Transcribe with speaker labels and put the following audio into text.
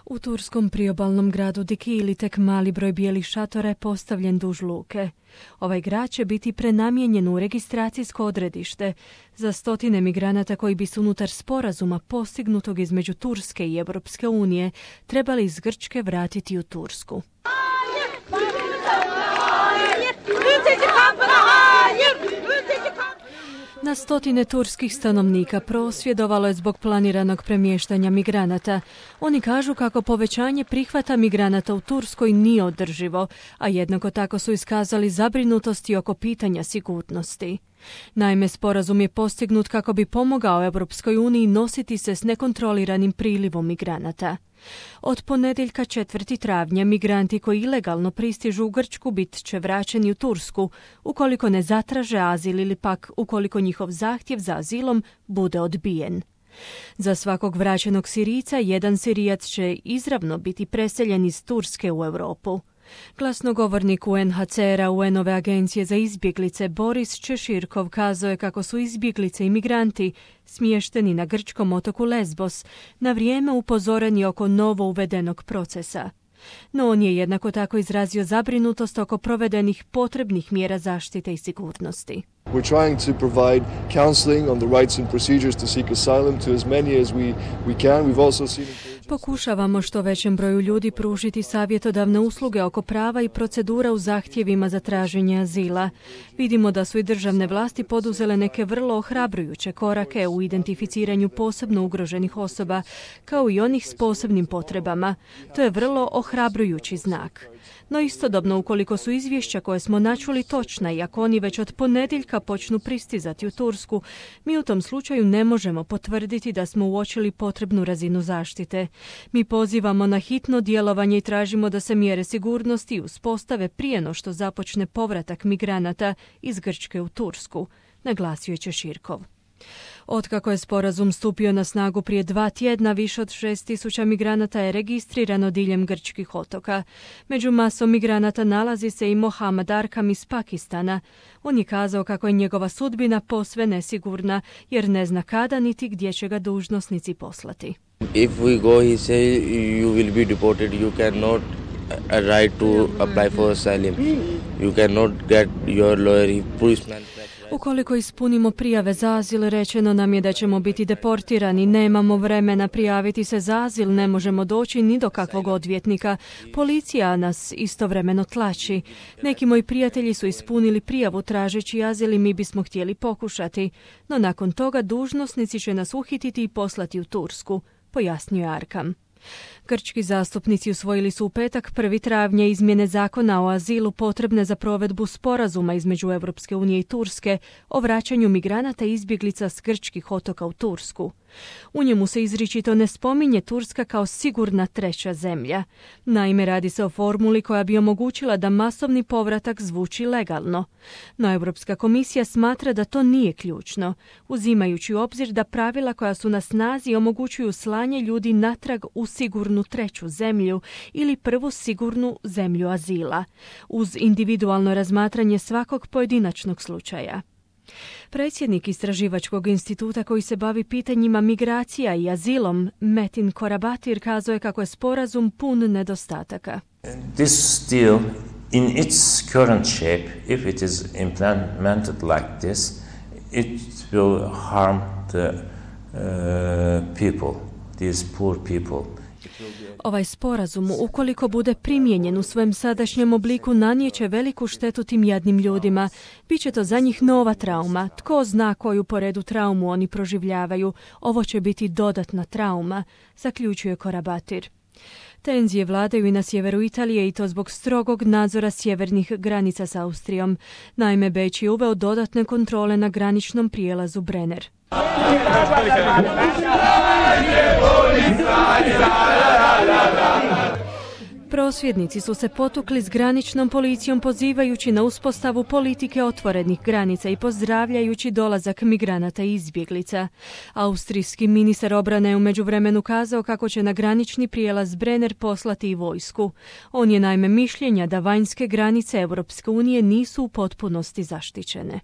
Speaker 1: U turskom priobalnom gradu Dikili tek mali broj bijelih šatora je postavljen duž luke. Ovaj grad će biti prenamijenjen u registracijsko odredište za stotine migranata koji bi se unutar sporazuma postignutog između Turske i Europske unije trebali iz Grčke vratiti u Tursku. Na stotine turskih stanovnika prosvjedovalo je zbog planiranog premještanja migranata. Oni kažu kako povećanje prihvata migranata u Turskoj nije održivo, a jednako tako su iskazali zabrinutosti oko pitanja sigurnosti. Naime, sporazum je postignut kako bi pomogao Europskoj uniji nositi se s nekontroliranim prilivom migranata. Od ponedjeljka 4. travnja migranti koji ilegalno pristižu u Grčku bit će vraćeni u Tursku ukoliko ne zatraže azil ili pak ukoliko njihov zahtjev za azilom bude odbijen. Za svakog vraćenog Sirijca jedan Sirijac će izravno biti preseljen iz Turske u Europu. Glasnogovornik UNHCR-a UN-ove agencije za izbjeglice Boris Češirkov kazao je kako su izbjeglice i migranti smješteni na grčkom otoku Lesbos na vrijeme upozoreni oko novo uvedenog procesa. No on je jednako tako izrazio zabrinutost oko provedenih potrebnih mjera zaštite i sigurnosti.
Speaker 2: We're trying to provide counseling on the rights and procedures to seek asylum to as many as we can. We've also seen
Speaker 1: Pokušavamo što većem broju ljudi pružiti savjetodavne usluge oko prava i procedura u zahtjevima za traženje azila. Vidimo da su i državne vlasti poduzele neke vrlo ohrabrujuće korake u identificiranju posebno ugroženih osoba, kao i onih s posebnim potrebama. To je vrlo ohrabrujući znak. No istodobno, ukoliko su izvješća koje smo načuli točna i ako oni već od ponedjeljka počnu pristizati u Tursku, mi u tom slučaju ne možemo potvrditi da smo uočili potrebnu razinu zaštite. Mi pozivamo na hitno djelovanje i tražimo da se mjere sigurnosti uspostave prije no što započne povratak migranata iz Grčke u Tursku, naglasio je Češirkov. Otkako je sporazum stupio na snagu prije 2 tjedna, više od 6.000 migranata je registrirano diljem grčkih otoka. Među masom migranata nalazi se i Mohamed Arkam iz Pakistana. On je kazao kako je njegova sudbina posve nesigurna, jer ne zna kada niti gdje će ga dužnosnici poslati.
Speaker 3: If we go, he say, you will be deported, you cannot right to apply for asylum. You cannot get your lawyer, policeman.
Speaker 1: Ukoliko ispunimo prijave za azil, rečeno nam je da ćemo biti deportirani, nemamo vremena prijaviti se za azil, ne možemo doći ni do kakvog odvjetnika. Policija nas istovremeno tlači. Neki moji prijatelji su ispunili prijavu tražeći azil i mi bismo htjeli pokušati, no nakon toga dužnosnici će nas uhititi i poslati u Tursku, pojasnio je Arkam. Grčki zastupnici usvojili su u petak 1. travnja izmjene zakona o azilu potrebne za provedbu sporazuma između Europske unije i Turske o vraćanju migranata i izbjeglica s grčkih otoka u Tursku. U njemu se izričito ne spominje Turska kao sigurna treća zemlja. Naime, radi se o formuli koja bi omogućila da masovni povratak zvuči legalno. No Europska komisija smatra da to nije ključno, uzimajući u obzir da pravila koja su na snazi omogućuju slanje ljudi natrag u sigurnu treću zemlju ili prvu sigurnu zemlju azila, uz individualno razmatranje svakog pojedinačnog slučaja. Predsjednik istraživačkog instituta koji se bavi pitanjima migracija i azilom, Metin Korabatir, kazao je kako je sporazum pun nedostataka.
Speaker 4: This deal in its current shape, if it is implemented like this, it will harm the people, these poor people.
Speaker 1: Ovaj sporazum, ukoliko bude primijenjen u svojem sadašnjem obliku, nanijeće veliku štetu tim jadnim ljudima. Biće to za njih nova trauma. Tko zna koju po redu traumu oni proživljavaju. Ovo će biti dodatna trauma, zaključuje Korabatir. Tenzije vladaju i na sjeveru Italije i to zbog strogog nadzora sjevernih granica s Austrijom. Naime, Beč je uveo dodatne kontrole na graničnom prijelazu Brenner. Prosvjednici su se potukli s graničnom policijom pozivajući na uspostavu politike otvorenih granica i pozdravljajući dolazak migranata i izbjeglica. Austrijski ministar obrane je u međuvremenu kazao kako će na granični prijelaz Brenner poslati i vojsku. On je naime mišljenja da vanjske granice Europske unije nisu u potpunosti zaštićene.